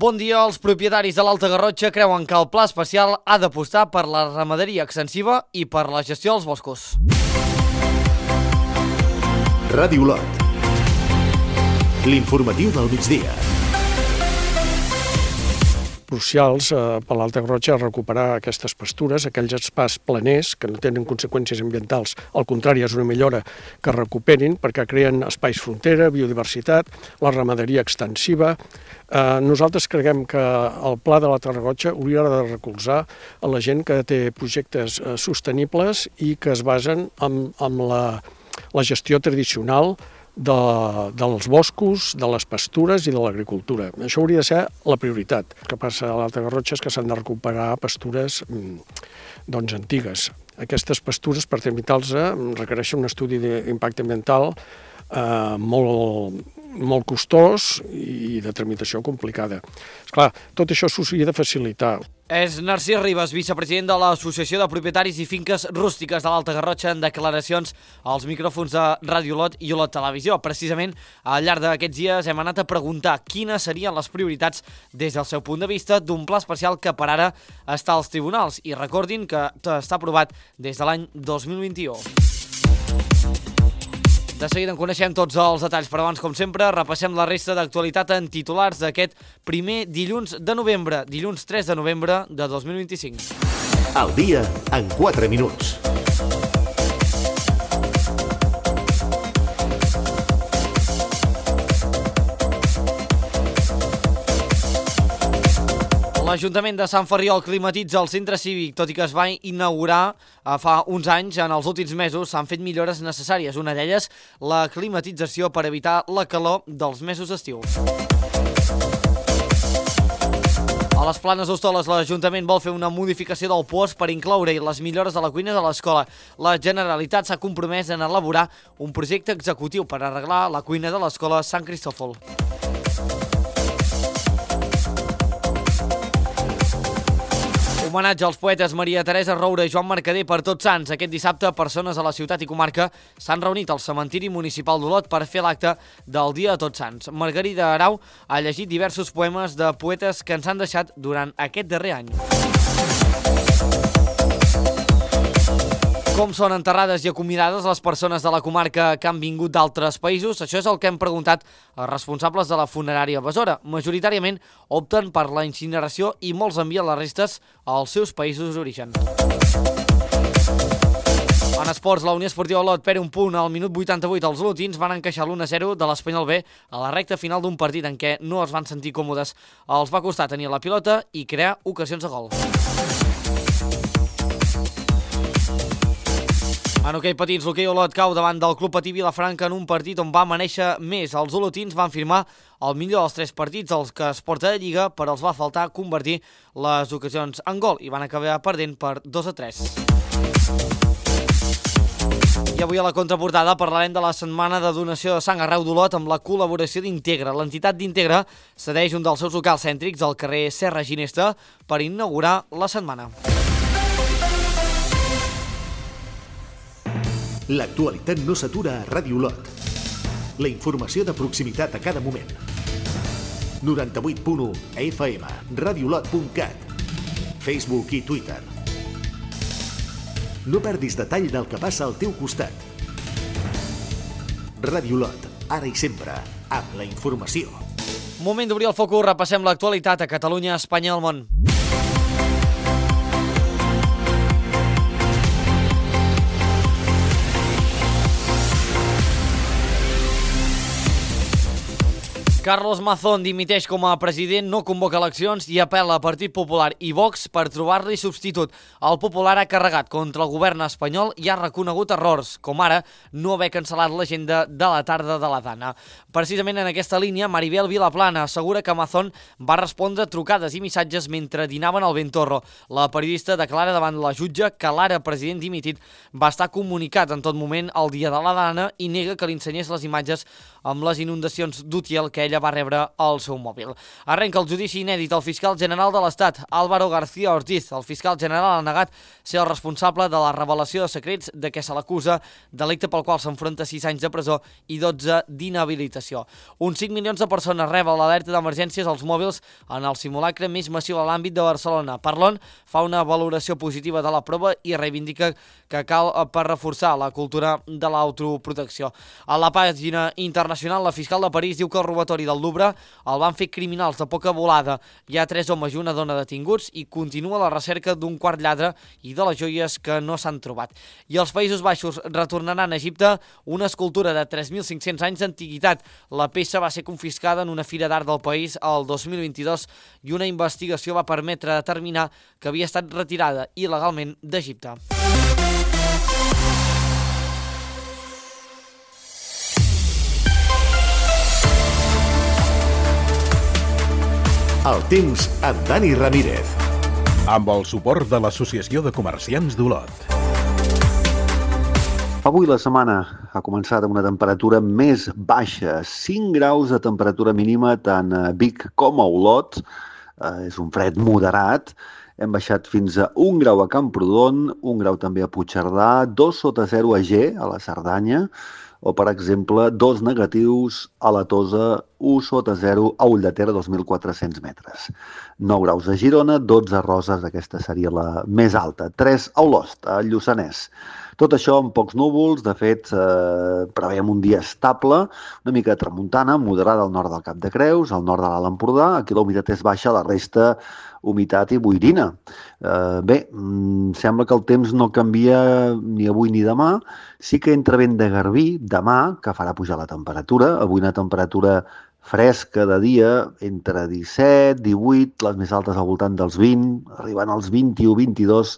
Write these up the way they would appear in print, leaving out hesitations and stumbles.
Bon dia. Els propietaris de l'Alta Garrotxa creuen que el pla especial ha d'apostar per la ramaderia extensiva i per la gestió dels boscos. Ràdio Lot. L'informatiu del migdia. Crucials per l'Alta Garrotxa recuperar aquestes pastures, aquells espais planers que no tenen conseqüències ambientals. Al contrari, és una millora que recuperin perquè creen espais frontera, biodiversitat, la ramaderia extensiva. Nosaltres creiem que el pla de l'Alta Garrotxa hauria de recolzar a la gent que té projectes sostenibles i que es basen en la gestió tradicional dels boscos, de les pastures i de l'agricultura. Això hauria de ser la prioritat. El que passa a l'Alta Garrotxa és que s'han de recuperar pastures antigues. Aquestes pastures, per tramitar-les, requereixen un estudi d'impacte ambiental molt costós i de tramitació complicada. Esclar, tot això s'hauria de facilitar. És Narcís Ribas, vicepresident de l'Associació de Propietaris i Finques Rústiques de l'Alta Garrotxa, en declaracions als micròfons de Ràdio Lot i Olot Televisió. Precisament, al llarg d'aquests dies hem anat a preguntar quines serien les prioritats des del seu punt de vista d'un pla especial que per ara està als tribunals. I recordin que està aprovat des de l'any 2021. De seguida en coneixem tots els detalls, però abans, com sempre, repassem la resta d'actualitat en titulars d'aquest primer dilluns de novembre, dilluns 3 de novembre de 2025. Al dia en 4 minuts. L'Ajuntament de Sant Ferriol climatitza el centre cívic, tot i que es va inaugurar fa uns anys. En els últims mesos s'han fet millores necessàries. Una d'elles, la climatització per evitar la calor dels mesos d'estiu. A les Planes d'Hostoles, l'Ajuntament vol fer una modificació del POS per incloure-hi les millores de la cuina de l'escola. La Generalitat s'ha compromès en elaborar un projecte executiu per arreglar la cuina de l'escola Sant Cristòfol. Homenatge als poetes Maria Teresa Roura i Joan Mercader per Tots Sants. Aquest dissabte, persones a la ciutat i comarca s'han reunit al cementiri municipal d'Olot per fer l'acte del Dia de Tots Sants. Margarida Arau ha llegit diversos poemes de poetes que ens han deixat durant aquest darrer any. Com són enterrades i acomiadades les persones de la comarca que han vingut d'altres països? Això és el que hem preguntat als responsables de la funerària Besora. Majoritàriament opten per la incineració i molts envien les restes als seus països d'origen. En esports, la Unió Esportiva Olot perd un punt al minut 88. Els olotins van encaixar l'1-0 de l'Espanyol B a la recta final d'un partit en què no es van sentir còmodes. Els va costar tenir la pilota i crear ocasions de gol. En hoquei patins, l'hoquei Olot cau davant del Club Patí Vilafranca en un partit on va amanèixer més. Els olotins van firmar el millor dels 3 partits als que es porta de Lliga, però els va faltar convertir les ocasions en gol i van acabar perdent per 2-3. I avui a la contraportada parlarem de la setmana de donació de sang arreu d'Olot amb la col·laboració d'Integra. L'entitat d'Integra cedeix un dels seus locals cèntrics al carrer Serra Ginesta per inaugurar la setmana. L'actualitat no s'atura a Ràdio Lot. La informació de proximitat a cada moment. 98.1 FM, radiolot.cat, Facebook i Twitter. No perdis detall del que passa al teu costat. Ràdio Lot, ara i sempre, amb la informació. Moment d'obrir el focus, repassem l'actualitat a Catalunya, Espanya i el món. Carlos Mazón dimiteix com a president, no convoca eleccions i apel·la a Partit Popular i Vox per trobar-li substitut. El Popular ha carregat contra el govern espanyol i ha reconegut errors, com ara no haver cancel·lat l'agenda de la tarda de la Dana. Precisament en aquesta línia, Maribel Vilaplana assegura que Mazón va respondre trucades i missatges mentre dinaven al Ventorro. La periodista declara davant la jutge que l'ara president dimitit va estar comunicat en tot moment el dia de la Dana i nega que li ensenyés les imatges amb les inundacions d'Utiel que ella ella va rebre el seu mòbil. Arrenca el judici inèdit al fiscal general de l'Estat, Álvaro García Ortiz. El fiscal general ha negat ser el responsable de la revelació de secrets de què se l'acusa, delicte pel qual s'enfronta 6 anys de presó i 12 d'inhabilitació. Uns 5 milions de persones reben l'alerta d'emergències als mòbils en el simulacre més massiu a l'àmbit de Barcelona. Parlon fa una valoració positiva de la prova i reivindica que cal per reforçar la cultura de l'autoprotecció. A la pàgina internacional, la fiscal de París diu que el robatori del Louvre el van fer criminals de poca volada. Hi ha 3 homes i una dona detinguts i continua la recerca d'un quart lladre i de les joies que no s'han trobat. I els Països Baixos retornaran a Egipte una escultura de 3.500 anys d'antiguitat. La peça va ser confiscada en una fira d'art del país el 2022 i una investigació va permetre determinar que havia estat retirada il·legalment d'Egipte. El temps amb Dani Ramírez. Amb el suport de l'Associació de Comerciants d'Olot. Avui la setmana ha començat amb una temperatura més baixa, 5 graus de temperatura mínima tant a Vic com a Olot. És un fred moderat. Hem baixat fins a 1 grau a Camprodon, 1 grau també a Puigcerdà, 2 sota 0 a Ger, a la Cerdanya, o, per exemple, 2 negatius a la Tosa, 1 sota 0 a Ulldeter, 2.400 metres. 9 graus a Girona, 12 a Roses, aquesta seria la més alta, 3 a Olost, a Lluçanès. Tot això amb pocs núvols, de fet, preveiem un dia estable, una mica de tramuntana, moderada al nord del Cap de Creus, al nord de l'Alt Empordà, aquí la humitat és baixa, la resta humitat i boirina. Sembla que el temps no canvia ni avui ni demà. Sí que entra vent de garbí demà, que farà pujar la temperatura. Avui una temperatura fresca de dia, entre 17, 18, les més altes al voltant dels 20, arribant als 21-22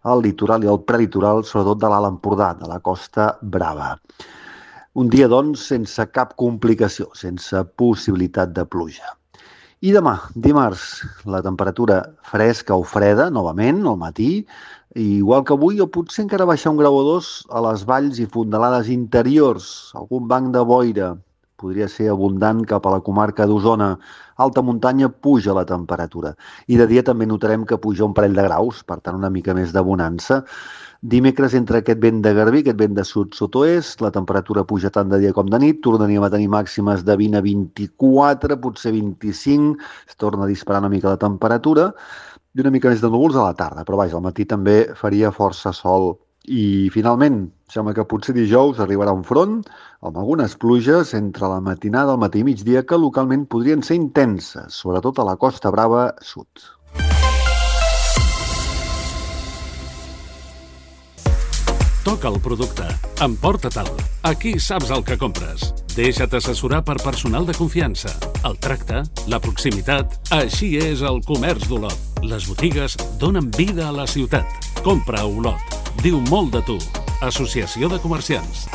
al litoral i al prelitoral, sobretot de l'Alt Empordà, de la Costa Brava. Un dia, doncs, sense cap complicació, sense possibilitat de pluja. I demà, dimarts, la temperatura fresca o freda, novament, al matí, igual que avui, o potser encara baixar 1 grau o 2 a les valls i fondalades interiors, algun banc de boira, podria ser abundant cap a la comarca d'Osona. Alta muntanya puja la temperatura. I de dia també notarem que puja un parell de graus, per tant una mica més de bonança. Dimecres, entre aquest vent de garbí, aquest vent de sud-sud-oest, la temperatura puja tant de dia com de nit, tornaríem a tenir màximes de 20 a 24, potser 25, es torna a disparar una mica la temperatura, i una mica més de núvols a la tarda, però vaja, al matí també faria força sol. I finalment, sembla que potser dijous arribarà un front amb algunes pluges entre la matinada, el matí i migdia, que localment podrien ser intenses, sobretot a la Costa Brava sud. Toca el producte. Emporta-te'l. Aquí saps el que compres. Deixa't assessorar per personal de confiança. El tracte, la proximitat... Així és el comerç d'Olot. Les botigues donen vida a la ciutat. Compra a Olot. Diu molt de tu. Associació de Comerciants.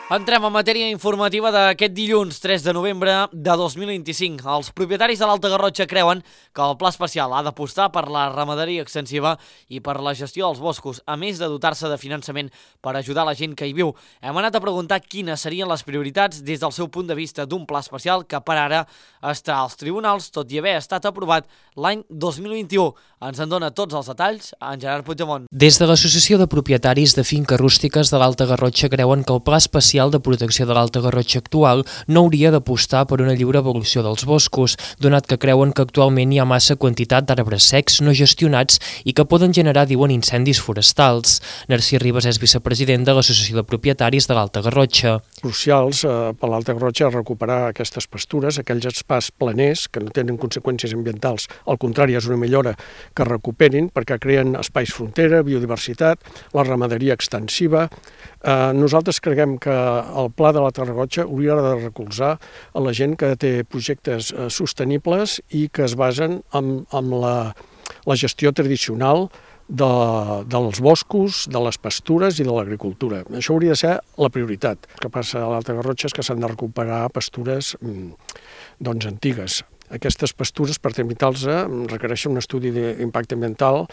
Entrem en matèria informativa d'aquest dilluns 3 de novembre de 2025. Els propietaris de l'Alta Garrotxa creuen que el Pla Especial ha d'apostar per la ramaderia extensiva i per la gestió dels boscos, a més de dotar-se de finançament per ajudar la gent que hi viu. Hem anat a preguntar quines serien les prioritats des del seu punt de vista d'un pla especial que per ara està als tribunals, tot i haver estat aprovat l'any 2021. Ens en dona tots els detalls en Gerard Puigdemont. Des de l'Associació de Propietaris de Finques Rústiques de l'Alta Garrotxa creuen que el Pla Especial de Protecció de l'Alta Garrotxa actual no hauria d'apostar per una lliure evolució dels boscos, donat que creuen que actualment hi ha massa quantitat d'arbres secs no gestionats i que poden generar, diuen, incendis forestals. Narcís Ribas és vicepresident de l'Associació de Propietaris de l'Alta Garrotxa. Crucials per l'Alta Garrotxa recuperar aquestes pastures, aquells espais planers que no tenen conseqüències ambientals, al contrari, és una millora que recuperin perquè creen espais frontera, biodiversitat, la ramaderia extensiva. Nosaltres creiem que el pla de l'Alta Garrotxa hauria de recolzar a la gent que té projectes sostenibles i que es basen en la gestió tradicional dels boscos, de les pastures i de l'agricultura. Això hauria de ser la prioritat. El que passa a l'Alta Garrotxa és que s'han de recuperar pastures antigues. Aquestes pastures, per tramitar-les, requereixen un estudi d'impacte ambiental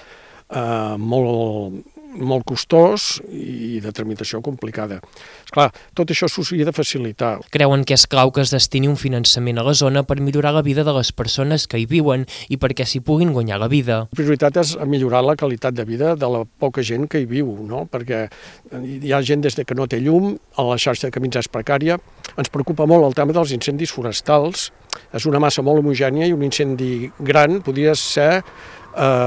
molt costós i de tramitació complicada. Esclar, tot això s'hauria de facilitar. Creuen que és clau que es destini un finançament a la zona per millorar la vida de les persones que hi viuen i perquè s'hi puguin guanyar la vida. La prioritat és millorar la qualitat de vida de la poca gent que hi viu, no? Perquè hi ha gent des que no té llum, a la xarxa de camins és precària. Ens preocupa molt el tema dels incendis forestals. És una massa molt homogènia i un incendi gran podria ser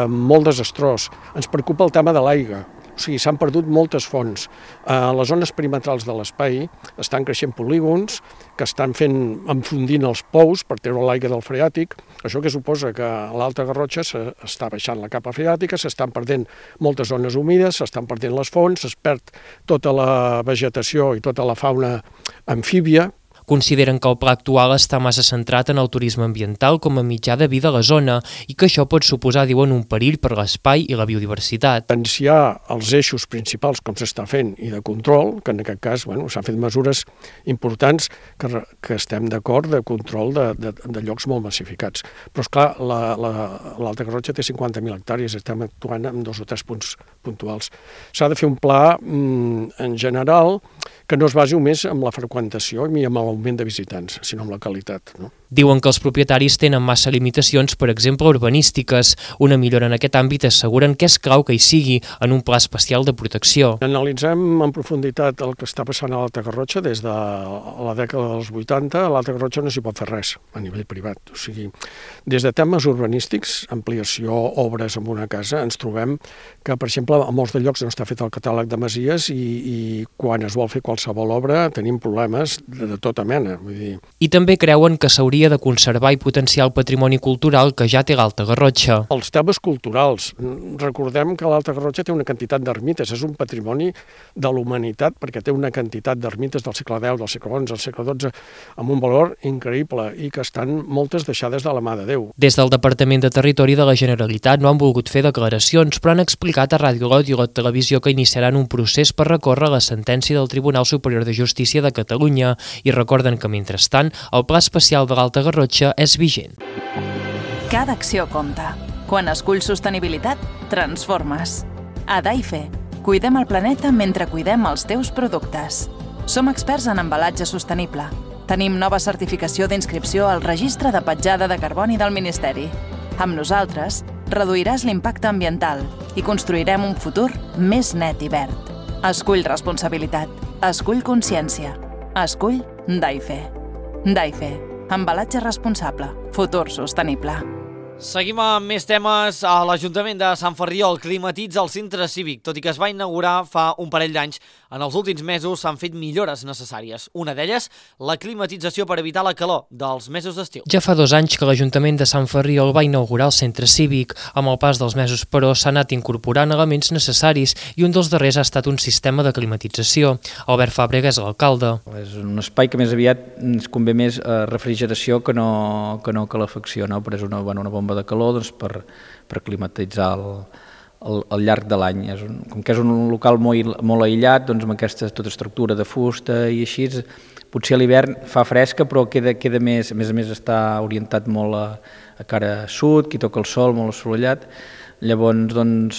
molt desastrós. Ens preocupa el tema de l'aigua. O sigui, s'han perdut moltes fonts. A les zones perimetrals de l'espai estan creixent polígons que estan enfondint els pous per treure l'aigua del freàtic. Això que suposa que a l'Alta Garrotxa s'està baixant la capa freàtica, s'estan perdent moltes zones humides, s'estan perdent les fonts, es perd tota la vegetació i tota la fauna amfíbia. Consideren que el pla actual està massa centrat en el turisme ambiental com a mitjà de vida a la zona i que això pot suposar, diuen, un perill per l'espai i la biodiversitat. Potenciar els eixos principals com s'està fent i de control, que en aquest cas s'han fet mesures importants que estem d'acord de control de llocs molt massificats. Però esclar, l'Alta Garrotxa té 50.000 hectàrees, estem actuant en 2 o 3 punts puntuals. S'ha de fer un pla en general que no es basi només en la freqüentació i amb l'augment de visitants, sinó amb la qualitat, no? Diuen que els propietaris tenen massa limitacions, per exemple, urbanístiques. Una millora en aquest àmbit asseguren que és clau que hi sigui en un pla especial de protecció. Analitzem en profunditat el que està passant a l'Alta Garrotxa des de la dècada dels 80. A l'Alta Garrotxa no s'hi pot fer res a nivell privat. O sigui, des de temes urbanístics, ampliació, obres en una casa, ens trobem que, per exemple, a molts de llocs no està fet el catàleg de masies i quan es vol fer qualsevol obra tenim problemes de tota mena. Vull dir. I també creuen que s'hauria de conservar i potenciar el patrimoni cultural que ja té l'Alta Garrotxa. Els temes culturals. Recordem que l'Alta Garrotxa té una quantitat d'ermites, és un patrimoni de l'humanitat perquè té una quantitat d'ermites del segle X, del segle XI, del segle XII, amb un valor increïble i que estan moltes deixades de la mà de Déu. Des del Departament de Territori de la Generalitat no han volgut fer declaracions, però han explicat a Ràdio Lot i a la televisió que iniciaran un procés per recórrer la sentència del Tribunal Superior de Justícia de Catalunya i recorden que, mentrestant, el Pla Especial de l'Alta Garrotxa és vigent. Cada acció compta. Quan esculls sostenibilitat, transformes. A Daife, cuidem el planeta mentre cuidem els teus productes. Som experts en embalatge sostenible. Tenim nova certificació d'inscripció al Registre de Petjada de Carboni del Ministeri. Amb nosaltres, reduiràs l'impacte ambiental i construirem un futur més net i verd. Escull responsabilitat. Escull consciència. Escull Daife. Daife. Embalatge responsable. Futur sostenible. Seguim amb més temes. A l'Ajuntament de Sant Ferriol climatitza el centre cívic. Tot i que es va inaugurar fa un parell d'anys, en els últims mesos s'han fet millores necessàries. Una d'elles, la climatització per evitar la calor dels mesos d'estiu. Ja fa 2 anys que l'Ajuntament de Sant Ferriol va inaugurar el centre cívic. Amb el pas dels mesos, però, s'ha anat incorporant elements necessaris i un dels darrers ha estat un sistema de climatització. Albert Fàbrega és l'alcalde. És un espai que més aviat ens convé més refrigeració que no calefacció, no? Però és una bomba de calor doncs, per climatitzar al llarg de l'any. Com que és un local molt aïllat, doncs, amb aquesta tota estructura de fusta i així, potser a l'hivern fa fresca, però queda més, a més està orientat molt a cara sud, qui toca el sol, molt assolellat. Llavors, doncs,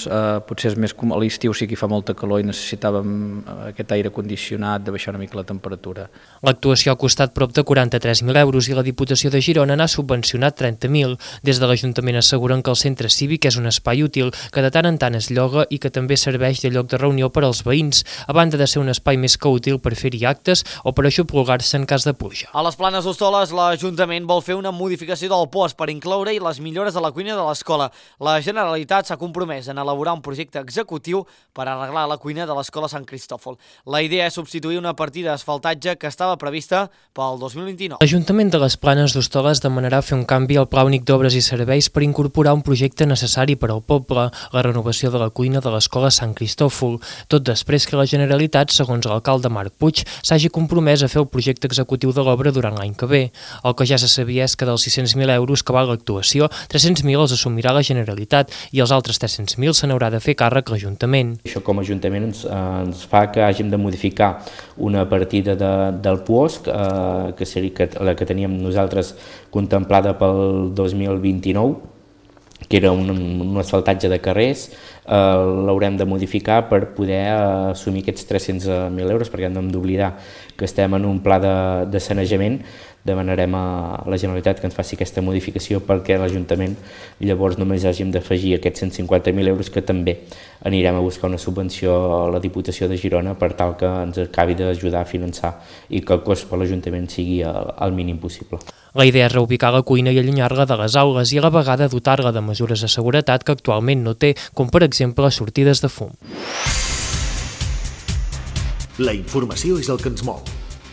potser és més com a l'estiu sí que hi fa molta calor i necessitàvem aquest aire condicionat de baixar una mica la temperatura. L'actuació ha costat prop de 43.000 euros i la Diputació de Girona n'ha subvencionat 30.000. Des de l'Ajuntament asseguren que el centre cívic és un espai útil, que de tant en tant es lloga i que també serveix de lloc de reunió per als veïns, a banda de ser un espai més que útil per fer-hi actes o per aixoplugar-se en cas de pluja. A les Planes d'Hostoles, l'Ajuntament vol fer una modificació del POS per incloure-hi les millores a la cuina de l'escola. La Generalitat s'ha compromès en elaborar un projecte executiu per arreglar la cuina de l'escola Sant Cristòfol. La idea és substituir una partida d'asfaltatge que estava prevista pel 2029. L'Ajuntament de les Planes d'Hostoles demanarà fer un canvi al Pla Únic d'Obres i Serveis per incorporar un projecte necessari per al poble, la renovació de la cuina de l'escola Sant Cristòfol, tot després que la Generalitat, segons l'alcalde Marc Puig, s'hagi compromès a fer el projecte executiu de l'obra durant l'any que ve. El que ja se sabia és que dels 600.000 euros que val l'actuació, 300.000 els assumirà la Generalitat i els altres 300.000 se n'haurà de fer càrrec l'Ajuntament. Això com a Ajuntament ens fa que hàgim de modificar una partida del POSC, que seria la que teníem nosaltres contemplada pel 2029, que era un asfaltatge de carrers, l'haurem de modificar per poder assumir aquests 300.000 euros, perquè no hem d'oblidar que estem en un pla de sanejament. Demanarem a la Generalitat que ens faci aquesta modificació perquè l'Ajuntament llavors només hàgim d'afegir aquests 150.000 euros que també anirem a buscar una subvenció a la Diputació de Girona per tal que ens acabi d'ajudar a finançar i que el cost per l'Ajuntament sigui el mínim possible. La idea és reubicar la cuina i allunyar-la de les aules i a la vegada dotar-la de mesures de seguretat que actualment no té, com per exemple sortides de fum. La informació és el que ens mou.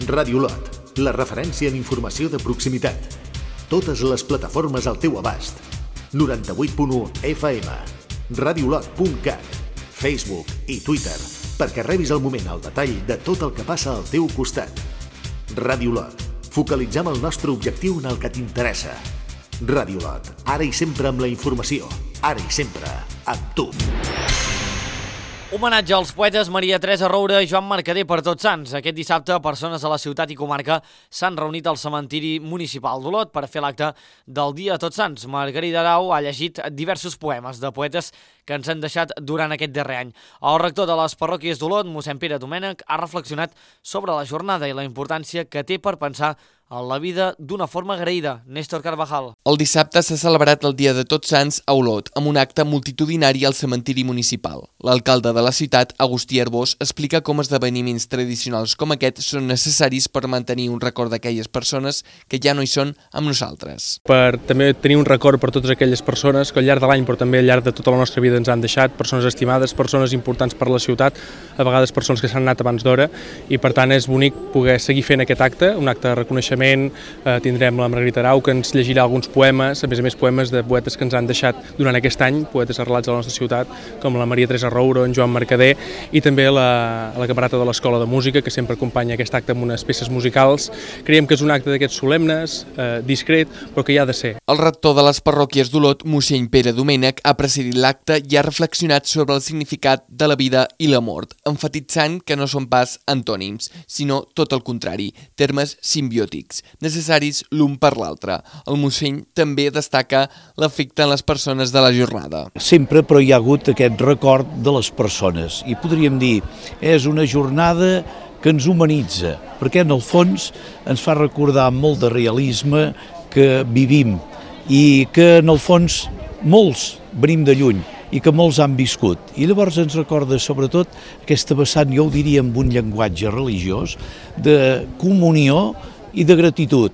Ràdio Lot, la referència en informació de proximitat. Totes les plataformes al teu abast. 98.1 FM, radiolot.cat, Facebook i Twitter, perquè rebis al moment el detall de tot el que passa al teu costat. Ràdio Lot, focalitzem el nostre objectiu en el que t'interessa. Ràdio Lot, ara i sempre amb la informació, ara i sempre amb tu. Homenatge als poetes Maria Teresa Roure i Joan Mercader per Tots Sants. Aquest dissabte, persones de la ciutat i comarca s'han reunit al cementiri municipal d'Olot per fer l'acte del Dia de Tots Sants. Margarida Arau ha llegit diversos poemes de poetes que ens han deixat durant aquest darrer any. El rector de les parròquies d'Olot, mossèn Pere Domènech, ha reflexionat sobre la jornada i la importància que té per pensar en la vida d'una forma agraïda. Néstor Carvajal. El dissabte s'ha celebrat el Dia de Tots Sants a Olot, amb un acte multitudinari al cementiri municipal. L'alcalde de la ciutat, Agustí Arbós, explica com esdeveniments tradicionals com aquest són necessaris per mantenir un record d'aquelles persones que ja no hi són amb nosaltres. Per també tenir un record per totes aquelles persones que al llarg de l'any, però també al llarg de tota la nostra vida ens han deixat, persones estimades, persones importants per la ciutat, a vegades persones que s'han anat abans d'hora, i per tant és bonic poder seguir fent aquest acte, un acte de reconeixement. Tindrem la Margarida Arau, que ens llegirà alguns poemes, a més poemes de poetes que ens han deixat durant aquest any, poetes arrelats a la nostra ciutat, com la Maria Teresa Roure, en Joan Mercader, i també la camarata de l'Escola de Música, que sempre acompanya aquest acte amb unes peces musicals. Creiem que és un acte d'aquests solemnes, discret, però que hi ha de ser. El rector de les parròquies d'Olot, mossèn Pere Domènech, ha presidit l'acte i ha reflexionat sobre el significat de la vida i la mort, emfatitzant que no són pas antònims, sinó tot el contrari, termes simbiòtics, necessaris l'un per l'altre. El mossèn també destaca l'efecte en les persones de la jornada. Sempre però hi ha hagut aquest record de les persones i podríem dir, és una jornada que ens humanitza, perquè en el fons ens fa recordar amb molt de realisme que vivim i que en el fons molts venim de lluny i que molts han viscut. I llavors ens recorda sobretot aquesta vessant, jo ho diria amb un llenguatge religiós, de comunió i de gratitud,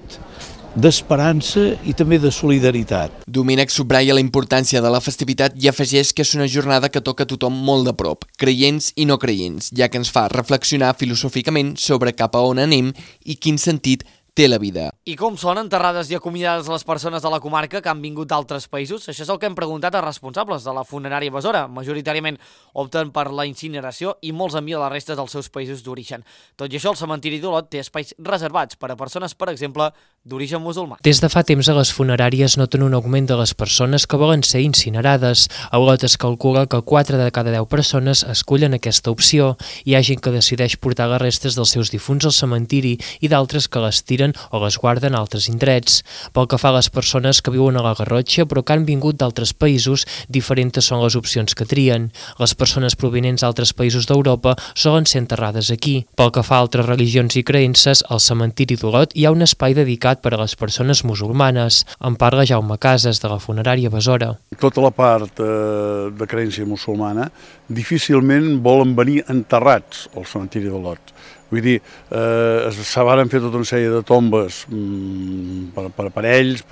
d'esperança i també de solidaritat. Domènech subratlla la importància de la festivitat i afegeix que és una jornada que toca a tothom molt de prop, creients i no creients, ja que ens fa reflexionar filosòficament sobre cap a on anem i quin sentit té la vida. I com són enterrades i acomiadades les persones de la comarca que han vingut d'altres països? Això és el que hem preguntat a responsables de la funerària Besora. Majoritàriament opten per la incineració i molts envien les restes dels seus països d'origen. Tot i això, el cementiri d'Olot té espais reservats per a persones, per exemple, d'origen musulmà. Des de fa temps a les funeràries noten un augment de les persones que volen ser incinerades. A Olot es calcula que 4 de cada 10 persones escullen aquesta opció. Hi ha gent que decideix portar les restes dels seus difunts al cementiri i d'altres que les tiren o les guarden a altres indrets. Pel que fa a les persones que viuen a la Garrotxa però que han vingut d'altres països, diferents són les opcions que trien. Les persones provinents d'altres països d'Europa solen ser enterrades aquí. Pel que fa a altres religions i creences, al cementiri d'Olot hi ha un espai dedicat per a les persones musulmanes. En parla Jaume Casas, de la funerària Besora. Tota la part de creença musulmana difícilment volen venir enterrats al cementiri d'Olot. Vull dir, se varen fer tota una sèrie de tombes per aparells,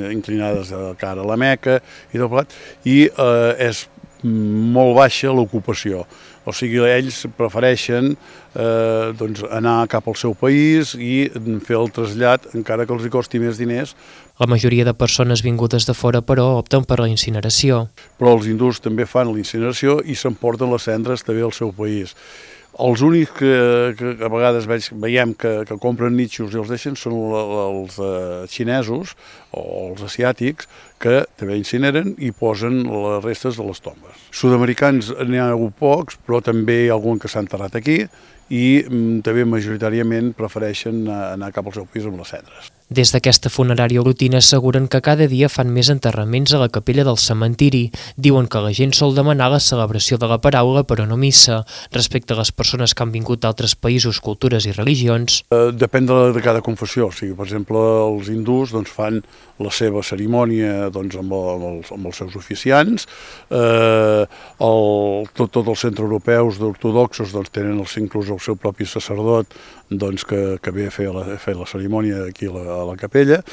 inclinades de cara a la Meca i tot plegat, i és molt baixa l'ocupació. O sigui, ells prefereixen anar cap al seu país i fer el trasllat, encara que els hi costi més diners. La majoria de persones vingudes de fora, però, opten per la incineració. Però els hindús també fan la incineració i s'emporten les cendres també al seu país. Els únics que a vegades veiem que compren nitxos i els deixen són els xinesos o els asiàtics, que també incineren i posen les restes de les tombes. Sud-americans n'hi ha hagut pocs, però també hi ha algun que s'ha enterrat aquí i també majoritàriament prefereixen anar cap al seu país amb les cendres. Des d'aquesta funerària olotina asseguren que cada dia fan més enterraments a la capella del cementiri. Diuen que la gent sol demanar la celebració de la paraula però no missa. Respecte a les persones que han vingut d'altres països, cultures i religions... Depèn de cada confessió. O sigui, per exemple, els hindús fan la seva cerimònia amb els seus oficiants. Tots els centreeuropeus ortodoxos tenen inclús el seu propi sacerdot que ve a fer la cerimònia aquí a la capella.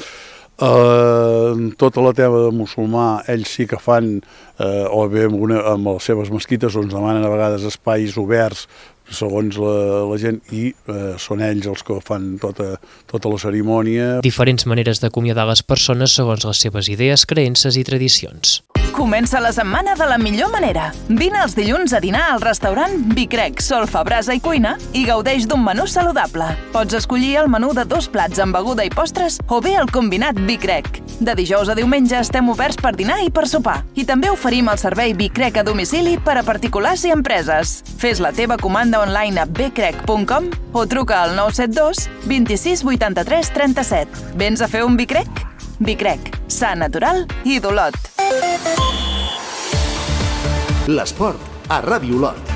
Tota la tema de musulmà, ells sí que fan, o bé amb les seves mesquites, demanen a vegades espais oberts segons la gent, i són ells els que fan tota la cerimònia. Diferents maneres d'acomiadar les persones segons les seves idees, creences i tradicions. Comença la setmana de la millor manera. Vine els dilluns a dinar al restaurant Bicrec, Solfa, Brasa i Cuina i gaudeix d'un menú saludable. Pots escollir el menú de 2 plats amb beguda i postres o bé el combinat Bicrec. De dijous a diumenge estem oberts per dinar i per sopar. I també oferim el servei Bicrec a domicili per a particulars i empreses. Fes la teva comanda online a bcrec.com o truca al 972 26 83 37. Vens a fer un Bicrec? Bicrec, sa, natural i d'Olot. L'esport a Ràdio Olot.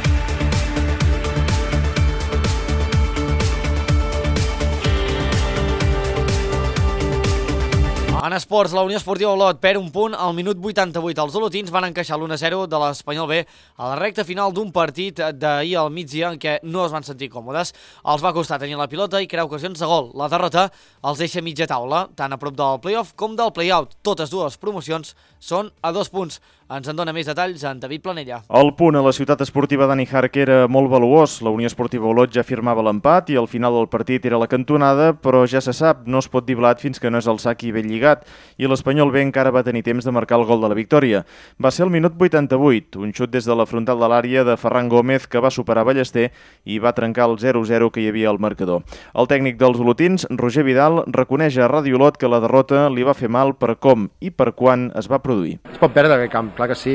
En esports, la Unió Esportiva Olot perd un punt al minut 88. Els olotins van encaixar l'1-0 de l'Espanyol B a la recta final d'un partit d'ahir al migdia en què no es van sentir còmodes. Els va costar tenir la pilota i crear ocasions de gol. La derrota els deixa mitja taula, tant a prop del play-off com del play-out. Totes dues promocions són a 2 punts. Ens en dona més detalls en David Planella. El punt a la ciutat esportiva Dani Hark era molt valuós. La Unió Esportiva Olot ja firmava l'empat i al final del partit era la cantonada, però ja se sap, no es pot dir blat fins que no és el sac i ben lligat. I l'Espanyol B encara va tenir temps de marcar el gol de la victòria. Va ser el minut 88, un xut des de la frontal de l'àrea de Ferran Gómez que va superar Ballester i va trencar el 0-0 que hi havia al marcador. El tècnic dels olotins, Roger Vidal, reconeix a Ràdio Olot que la derrota li va fer mal per com i per quan es va produir. Es pot perdre aquest camp, clar que sí,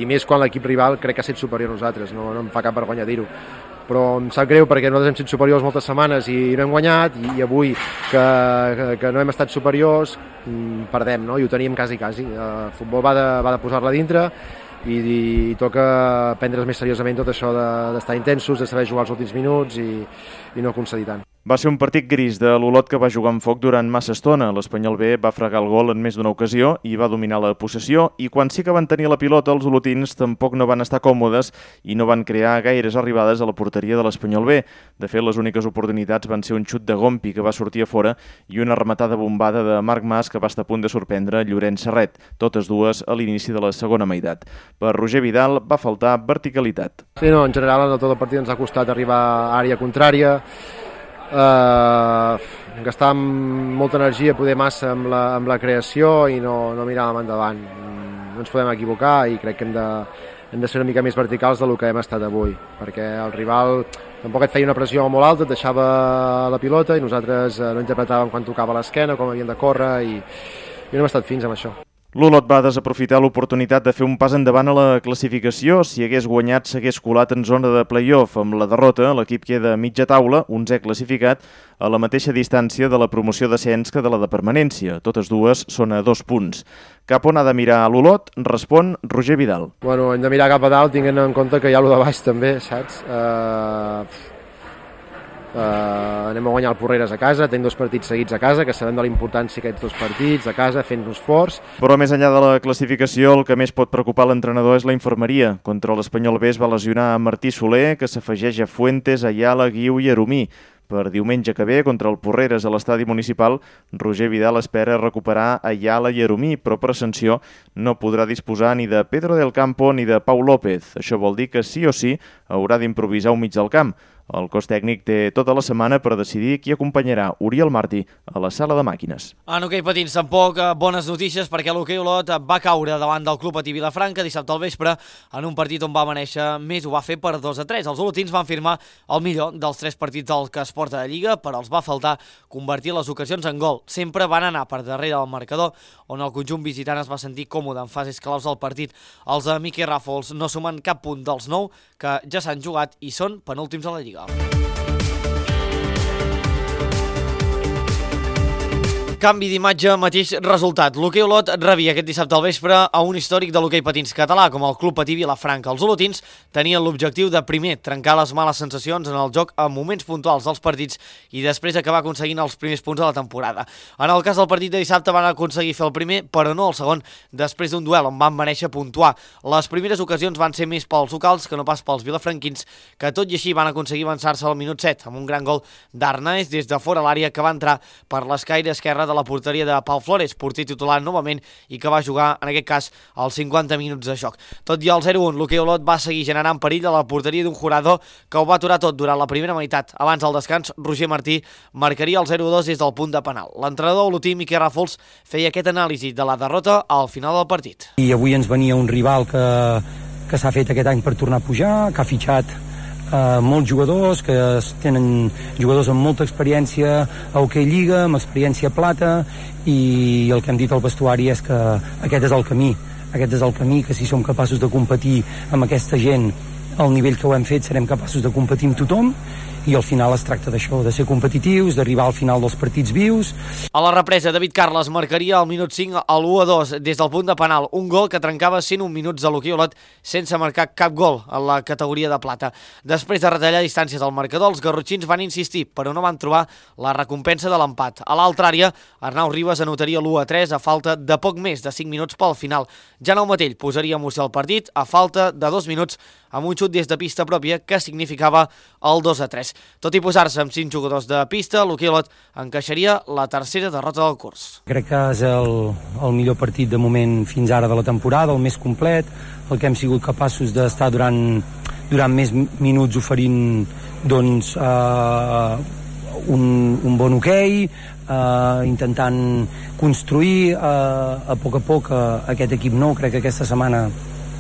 i més quan l'equip rival crec que ha estat superior a nosaltres, no em fa cap vergonya dir-ho. Però em sap greu perquè nosaltres hem estat superiors moltes setmanes i no hem guanyat, i avui que no hem estat superiors perdem, no? I ho teníem quasi. El futbol va de posar-la dintre i toca prendre's més seriosament tot això d'estar intensos, de saber jugar els últims minuts i no concedir tant. Va ser un partit gris de l'Olot que va jugar amb foc durant massa estona. L'Espanyol B va fregar el gol en més d'una ocasió i va dominar la possessió, i quan sí que van tenir la pilota els olotins tampoc no van estar còmodes i no van crear gaires arribades a la porteria de l'Espanyol B. De fet, les úniques oportunitats van ser un xut de Gompi que va sortir a fora i una rematada bombada de Marc Mas que va estar a punt de sorprendre Llorenç Serret, totes dues a l'inici de la segona meitat. Per Roger Vidal va faltar verticalitat. Sí, no, en general en tot el partit ens ha costat arribar a àrea contrària, gastar molta energia, poder massa amb la creació i no miràvem endavant. No ens podem equivocar i crec que hem de ser una mica més verticals del que hem estat avui, perquè el rival tampoc et feia una pressió molt alta, et deixava la pilota i nosaltres no interpretàvem quan tocava l'esquena, com havíem de córrer, i no hem estat fins amb això. L'Olot va desaprofitar l'oportunitat de fer un pas endavant a la classificació. Si hagués guanyat, s'hagués colat en zona de play-off. Amb la derrota, l'equip queda a mitja taula, 11è classificat, a la mateixa distància de la promoció d'ascens que de la de permanència. Totes dues són a 2 punts. Cap on ha de mirar l'Olot? Respon Roger Vidal. Bueno, hem de mirar cap a dalt, tinguent en compte que hi ha lo de baix també, saps? Anem a guanyar el Porreres a casa, tenim 2 partits seguits a casa, que sabem de la importància d'aquests 2 partits a casa, fent-nos forts. Però més enllà de la classificació, el que més pot preocupar l'entrenador és la infermeria. Contra l'Espanyol B es va lesionar a Martí Soler, que s'afegeix a Fuentes, Ayala, Guiu i Arumí. Per diumenge que ve, contra el Porreres a l'estadi municipal, Roger Vidal espera recuperar Ayala i Arumí, però per sanció no podrà disposar ni de Pedro del Campo ni de Pau López. Això vol dir que sí o sí haurà d'improvisar un mig del camp. El cos tècnic té tota la setmana per decidir qui acompanyarà Oriol Martí a la sala de màquines. En hoquei patins tampoc bones notícies, perquè l'hoquei Olot va caure davant del Club Patí Vilafranca dissabte al vespre en un partit on va amanèixer més, ho va fer per 2-3. Els olotins van firmar el millor dels 3 partits del que es porta de Lliga, però els va faltar convertir les ocasions en gol. Sempre van anar per darrere del marcador, on el conjunt visitant es va sentir còmode en fases claus del partit. Els de Miqui Ràfols no sumen cap punt dels 9 que ja s'han jugat i són penúltims a la Lliga. Canvi d'imatge, mateix resultat. L'hoquei Olot rebia aquest dissabte al vespre a un històric de l'hoquei patins català, com el Club Patí Vilafranca. Els olotins tenien l'objectiu de, primer, trencar les males sensacions en el joc a moments puntuals dels partits i després acabar aconseguint els primers punts de la temporada. En el cas del partit de dissabte van aconseguir fer el primer, però no el segon, després d'un duel on van mereixer puntuar. Les primeres ocasions van ser més pels locals que no pas pels vilafranquins, que tot i així van aconseguir avançar-se al minut 7, amb un gran gol d'Arnaez des de fora l'àrea que va entrar per l'escaire esquerre de la porteria de Pau Flores, porter titular novament i que va jugar, en aquest cas, els 50 minuts de joc. Tot i el 0-1, l'hoquei Olot va seguir generant perill a la porteria d'un Jurado que ho va aturar tot durant la primera meitat. Abans del descans, Roger Martí marcaria el 0-2 des del punt de penal. L'entrenador olotí, Miquel Ràfols, feia aquest anàlisi de la derrota al final del partit. I avui ens venia un rival que s'ha fet aquest any per tornar a pujar, que ha fitxat molts jugadors, que tenen jugadors amb molta experiència a hoquei lliga, amb experiència plata, i el que hem dit al vestuari és que aquest és el camí, que si som capaços de competir amb aquesta gent al nivell que ho hem fet, serem capaços de competir amb tothom, i al final es tracta d'això, de ser competitius, d'arribar al final dels partits vius. A la represa, David Carles marcaria al minut 5 a l'1-2 des del punt de penal, un gol que trencava 101 minuts de l'hoquei Olot sense marcar cap gol en la categoria de plata. Després de retallar distàncies al marcador, els garrotxins van insistir, però no van trobar la recompensa de l'empat. A l'altra àrea, Arnau Ribas anotaria l'1-3 a falta de poc més de 5 minuts pel final. Jaume Matell posaria emoció al partit a falta de 2 minuts amb un xut des de pista pròpia que significava el 2-3. Tot i posar-se amb 5 jugadors de pista, l'hoquei Olot encaixaria la tercera derrota del curs. Crec que és el millor partit de moment fins ara de la temporada, el més complet, el que hem sigut capaços d'estar durant més minuts oferint doncs, un bon hoquei, intentant construir a poc aquest equip nou. Crec que aquesta setmana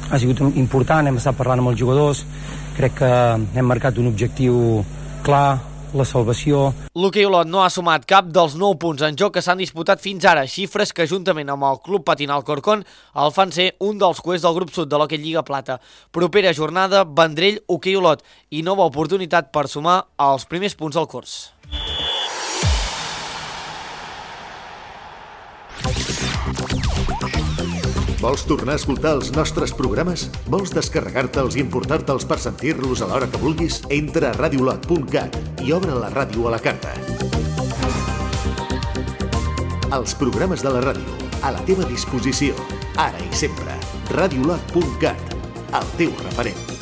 ha sigut important, hem estat parlant amb els jugadors, crec que hem marcat un objectiu clar, la salvació. L'hoquei Olot no ha sumat cap dels 9 punts en joc que s'han disputat fins ara, xifres que juntament amb el Club Patinal Corcón el fan ser un dels cuers del grup sud de l'hoquei Lliga Plata. Propera jornada, Vendrell, hoquei Olot i nova oportunitat per sumar els primers punts del curs. Vols tornar a escoltar els nostres programes? Vols descarregar-te'ls i importar-te'ls per sentir-los a l'hora que vulguis? Entra a radiolot.cat i obre la ràdio a la carta. Els programes de la ràdio, a la teva disposició, ara i sempre. Radiolot.cat, el teu referent.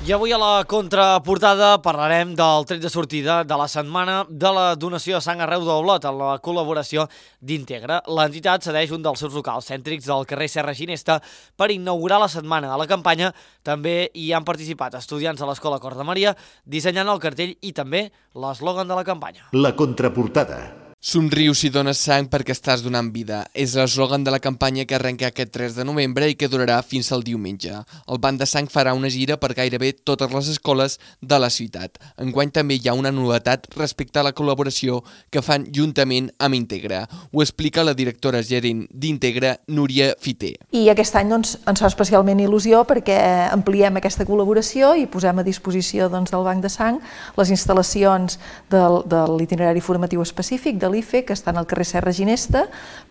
I avui a la contraportada parlarem del tret de sortida de la setmana de la donació de sang arreu d'Olot en la col·laboració d'Integra. L'entitat cedeix un dels seus locals cèntrics del carrer Serra Ginesta per inaugurar la setmana. A la campanya també hi han participat estudiants de l'Escola Cor de Maria dissenyant el cartell i també l'eslògan de la campanya. La contraportada. Somriu si dones sang perquè estàs donant vida. És l'eslògan de la campanya que arrenca aquest 3 de novembre i que durarà fins al diumenge. El Banc de Sang farà una gira per gairebé totes les escoles de la ciutat. Enguany també hi ha una novetat respecte a la col·laboració que fan juntament amb Integra. Ho explica la directora gerent d'Integra, Núria Fiter. I aquest any ens fa especialment il·lusió perquè ampliem aquesta col·laboració i posem a disposició del Banc de Sang les instal·lacions de l'itinerari formatiu específic de l'IFE, que estan al carrer Serra Ginesta,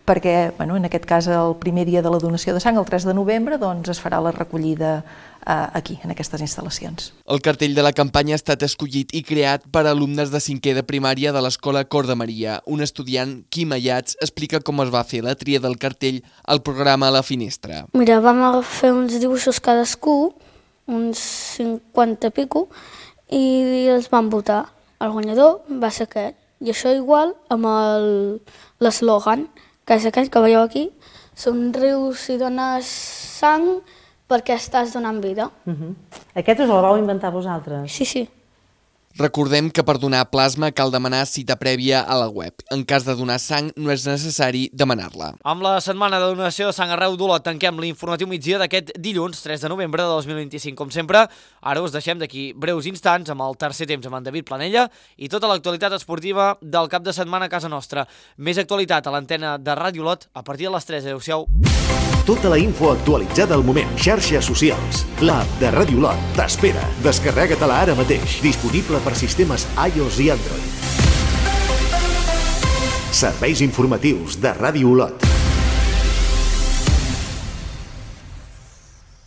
perquè en aquest cas el primer dia de la donació de sang, el 3 de novembre, es farà la recollida aquí, en aquestes instal·lacions. El cartell de la campanya ha estat escollit i creat per alumnes de 5è de primària de l'Escola Cor de Maria. Un estudiant, Quim Ayats, explica com es va fer la tria del cartell al programa A la Finestra. Mira, vam fer uns dibuixos cadascú, uns 50 i pico, i els vam votar. El guanyador va ser aquest. I això igual amb l'eslògan, que és aquell que veieu aquí, somriu si dones sang perquè estàs donant vida. Aquest us el vau inventar vosaltres? Sí, sí. Recordem que per donar plasma cal demanar cita prèvia a la web. En cas de donar sang no és necessari demanar-la. Amb la setmana de donació de sang arreu d'Olot tanquem l'informatiu migdia d'aquest dilluns 3 de novembre de 2025. Com sempre, ara us deixem d'aquí breus instants amb el tercer temps amb en David Planella i tota l'actualitat esportiva del cap de setmana a casa nostra. Més actualitat a l'antena de Ràdio Olot a partir de les 3. Adéu-siau. Tota la info actualitzada al moment. Xarxes socials. L'app de Ràdio Olot t'espera. Descarrega-te-la ara mateix. Disponible per sistemes iOS i Android. Serveis informatius de Ràdio Olot.